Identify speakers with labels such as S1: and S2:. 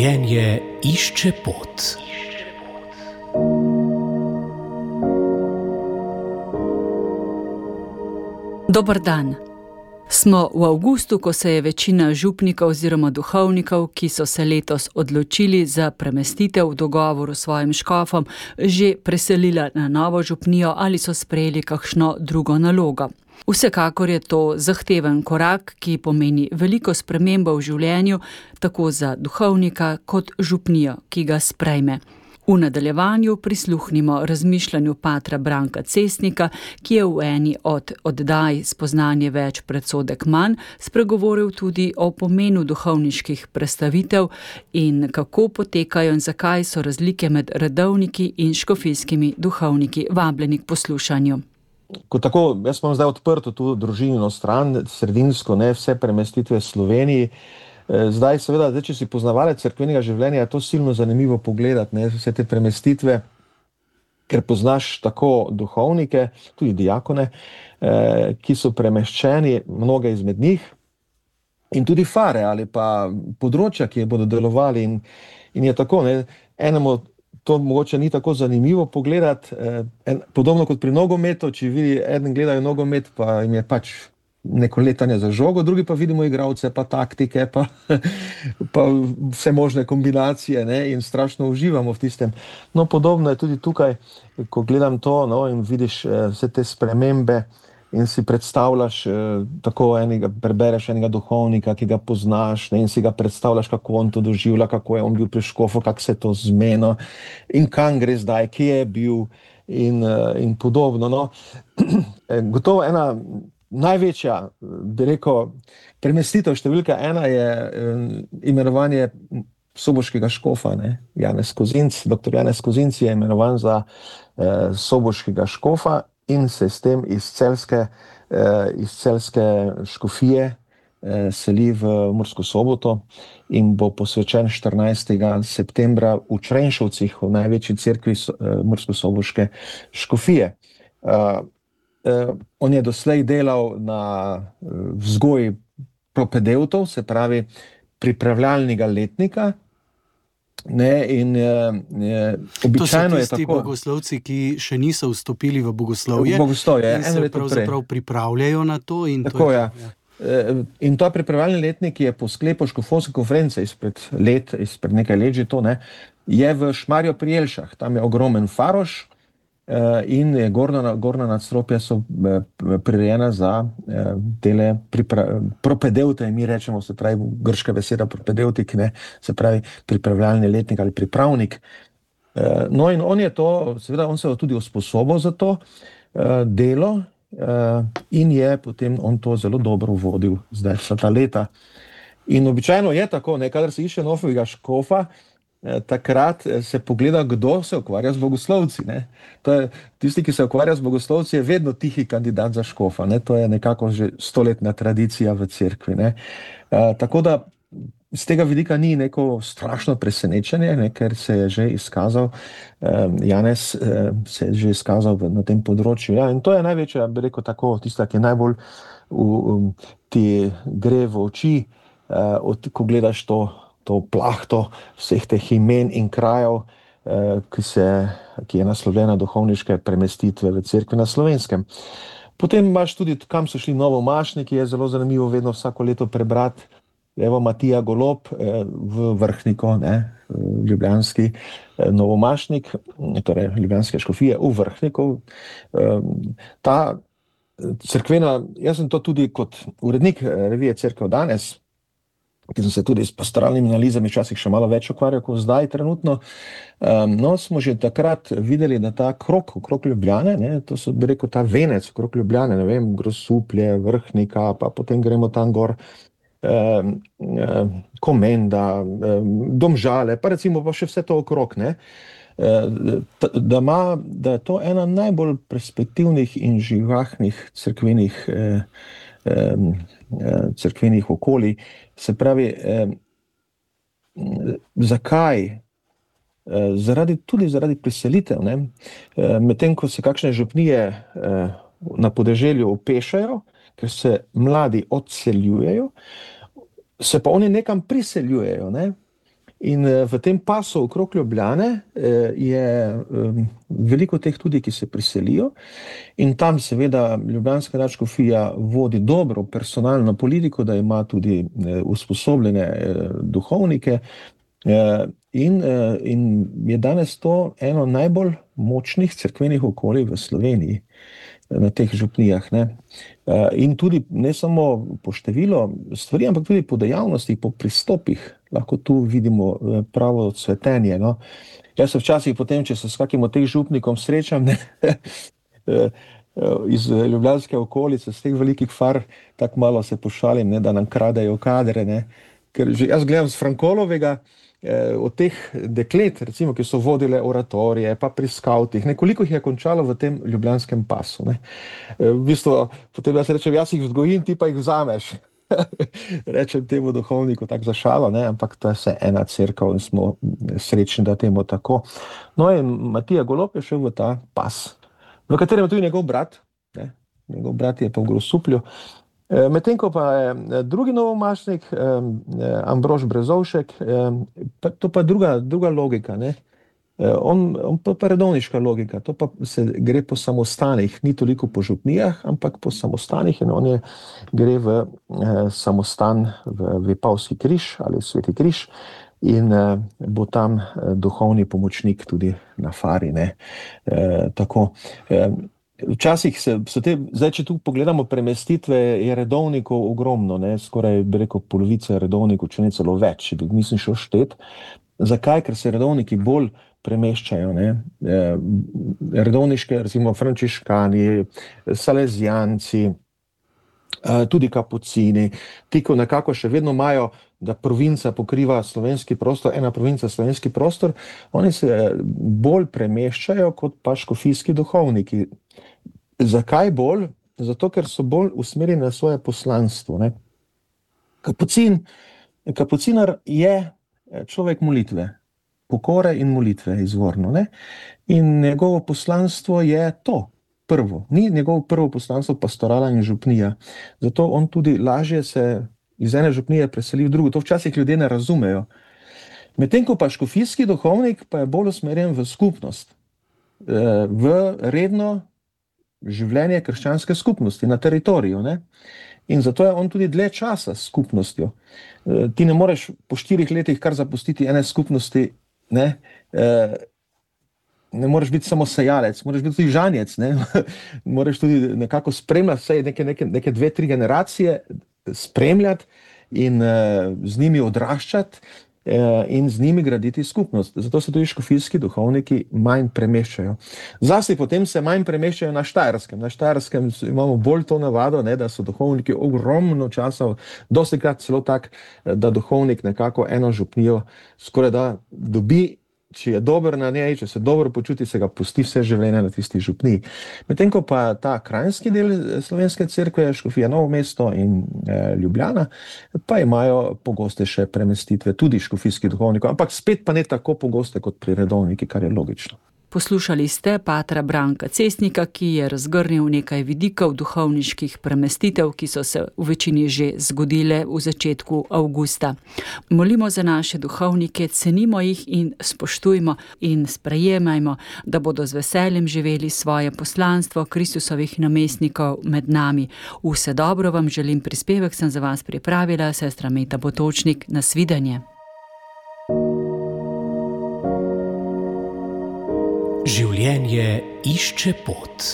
S1: Življenje išče pot.
S2: Dober dan. Smo v avgustu, ko se je večina župnikov oziroma duhovnikov, ki so se letos odločili za premestitev v dogovoru s svojim škofom, že preselila na novo župnijo ali so sprejeli kakšno drugo nalogo. Vsekakor je to zahteven korak, ki pomeni veliko spremembo v življenju, tako za duhovnika kot župnijo, ki ga sprejme. V nadaljevanju prisluhnimo razmišljanju patra Branka Cestnika, ki je v eni od oddaj Spoznanje več, predsodek manj spregovoril tudi o pomenu duhovniških predstavitev in kako potekajo in zakaj so razlike med redovniki in škofijskimi duhovniki vabljeni k poslušanju.
S3: Tako, jaz imam zdaj odprto tu družinino stran, sredinsko, vse premestitve v Sloveniji. Zdaj, seveda, če si poznavalec cerkvenega življenja, je to silno zanimivo pogledati, vse te premestitve, ker poznaš tako duhovnike, tudi diakone, ki so premeščeni, mnoge izmed njih, in tudi fare ali pa področja, ki bodo delovali. In je tako, enemu to mogoče ni tako zanimivo pogledati, podobno kot pri nogometu, če vidi, eden gledajo nogomet, pa jim je pač neko letanje za žogo, drugi pa vidimo igralce, pa taktike, pa vse možne kombinacije, in strašno uživamo v tistem. No, podobno je tudi tukaj, ko gledam to, in vidiš vse te spremembe in si predstavljaš tako prebereš enega duhovnika, ki ga poznaš, in si ga predstavljaš, kako on to doživlja, kako je on bil pri škofu, kako se je to zmenil in kam gre zdaj, kje je bil in podobno. Gotovo ena največja, bi rekel, premestitev številka 1 je imenovanje soboškega škofa, Janez Kozinc. Dr. Janez Kozinc je imenovan za soboškega škofa in se s tem iz celjske škofije seli v Mursko Soboto in bo posvečen 14. septembra v Črenšovcih, v največji cerkvi murskosoboške škofije. On je doslej delal na vzgoji propedevtov, se pravi pripravljalnega letnika, in običajno je tako.
S1: To so tisti bogoslovci, ki še niso vstopili v bogoslovje,
S3: in
S1: se pravzaprav pripravljajo na to.
S3: Tako je. In ta pripravljalni letnik je po sklepu škofovske konference izpred nekaj let že to, je v Šmarju pri Jelšah. Tam je ogromen faroš in gornja nadstropja so prirejena za tele propedevte, mi rečemo, se pravi grška beseda propedevtik, se pravi pripravljalni letnik ali pripravnik. No, in on je to, seveda on se je tudi usposobil za to delo in je potem on to zelo dobro vodil zdaj vsa ta leta. In običajno je tako, kadar se išče novega škofa, takrat se pogleda, kdo se ukvarja z bogoslovci. Tisti, ki se ukvarja z bogoslovci, je vedno tihi kandidat za škofa. To je nekako že 100-letna tradicija v cerkvi. Tako da z tega vidika ni neko strašno presenečenje, ker se je že izkazal, Janez se je že izkazal na tem področju. In to je največja, bi rekel tako, tista, ki najbolj ti gre v oči, ko gledaš to plahto vseh teh imen in krajev, ki je naslovljena duhovniške premestitve v cerkvi na Slovenskem. Potem imaš tudi, kam so šli novomašniki, je zelo zanimivo vedno vsako leto prebrati. Evo Matija Golob v Vrhniko, ljubljanski novomašnik, torej ljubljanske škofije v Vrhniku. Ta cerkvena, jaz sem to tudi kot urednik revije Cerkev danes, ki sem se tudi s pastoralnimi analizami včasih še malo več ukvarjal kot zdaj trenutno. Smo že takrat videli, da ta krog okrog Ljubljane, to so, bi rekel, ta venec okrog Ljubljane, Grosuplje, Vrhnika, pa potem gremo tam gor, Komenda, Domžale, pa recimo pa še vse to okrog, da je to ena najbolj perspektivnih in živahnih cerkvenih okolij. Se pravi, zakaj? Tudi zaradi priselitev. Medtem ko se kakšne župnije na podeželju opešajo, ker se mladi odseljujejo, se pa oni nekam priseljujejo. In v tem pasu okrog Ljubljane je veliko teh tudi, ki se priselijo, in tam seveda ljubljanska nadškofija vodi dobro personalno politiko, da ima tudi usposobljene duhovnike, in je danes to eno najbolj močnih cerkvenih okolij v Sloveniji, na teh župnijah, ne. In tudi ne samo po številu stvari, ampak tudi po dejavnostih, po pristopih, lahko tu vidimo pravo cvetenje, no. Jaz se včasih potem, če se s kakim od teh župnikom srečam, ne, iz ljubljanske okolice, z teh velikih far, tako malo se pošalim, ne, da nam kradejo kadre, ne. Ker že jaz gledam z Frankolovega, od teh deklet, recimo, ki so vodile oratorije, pa pri skavtih, nekoliko jih je končalo v tem ljubljanskem pasu, ne. V bistvu, potem jaz rečem, jaz jih vzgojim, ti pa jih vzameš. Rečem temu duhovniku tako za šalo, ne, ampak to je vse ena cerkev in smo srečni, da temu tako. No in Matija Golob je šel v ta pas, v katerem je tudi njegov brat, ne, njegov brat je pa v Grosuplju. Medtem ko pa je drugi novomašnik, Ambrož Brezovšek, to pa druga logika, ne. On pa redovniška logika, to pa se gre po samostanih, ni toliko po župnijah, ampak po samostanih, in on gre v samostan v Vipavski križ ali Sveti križ in bo tam duhovni pomočnik tudi na fari, ne. Tako. Včasih so te, zdaj če tu pogledamo premestitve, je redovnikov ogromno, ne, skoraj bi rekel polovica redovnikov, če ne celo več, če bi mislim šel štet. Zakaj? Ker se redovniki bolj premeščajo, ne. Redovniške, recimo frančiškani, salezijanci, tudi kapucini, ti, ko nekako še vedno imajo, da provinca pokriva slovenski prostor, ena provinca slovenski prostor, oni se bolj premeščajo kot pa škofijski duhovniki. Zakaj bolj? Zato, ker so bolj usmerjeni na svoje poslanstvo, ne. Kapucinar je človek molitve, pokore in molitve izvorno, ne. In njegovo poslanstvo je to. Prvo. Ni njegovo prvo poslanstvo pastorala in župnija. Zato on tudi lažje se iz ene župnije preseli v drugo. To včasih ljudje ne razumejo. Medtem ko pa škofijski duhovnik pa je bolj usmerjen v skupnost, v redno življenje krščanske skupnosti na teritoriju, ne. In zato je on tudi dlje časa s skupnostjo. Ti ne moreš po 4 letih kar zapustiti ene skupnosti, ne. Ne moreš biti samo sejalec, moraš biti tudi žanjec, ne. Moraš tudi nekako spremljati vse neke 2-3 generacije, spremljati in z njimi odraščati in z njimi graditi skupnost. Zato se tudi škofijski duhovniki manj premeščajo. Zlasti potem se manj premeščajo na Štajerskem. Na Štajerskem imamo bolj to navado, ne, da so duhovniki ogromno časa, dostikrat celo tak, da duhovnik nekako eno župnijo skoraj da dobi, če je dober na njej, če se dobro počuti, se ga pusti vse življenje na tisti župniji. Medtem ko pa ta kranjski del slovenske cerkve, škofija Novo mesto in Ljubljana, pa imajo pogostejše premestitve tudi škofijskih duhovnikov, ampak spet pa ne tako pogoste kot pri redovniki, kar je logično.
S2: Poslušali ste patra Branka Cestnika, ki je razgrnil nekaj vidikov duhovniških premestitev, ki so se v večini že zgodile v začetku avgusta. Molimo za naše duhovnike, cenimo jih in spoštujmo in sprejemajmo, da bodo z veseljem živeli svoje poslanstvo Kristusovih namestnikov med nami. Vse dobro vam želim, prispevek sem za vas pripravila sestra Meta Potočnik. Nasvidenje.
S4: Življenje išče pot.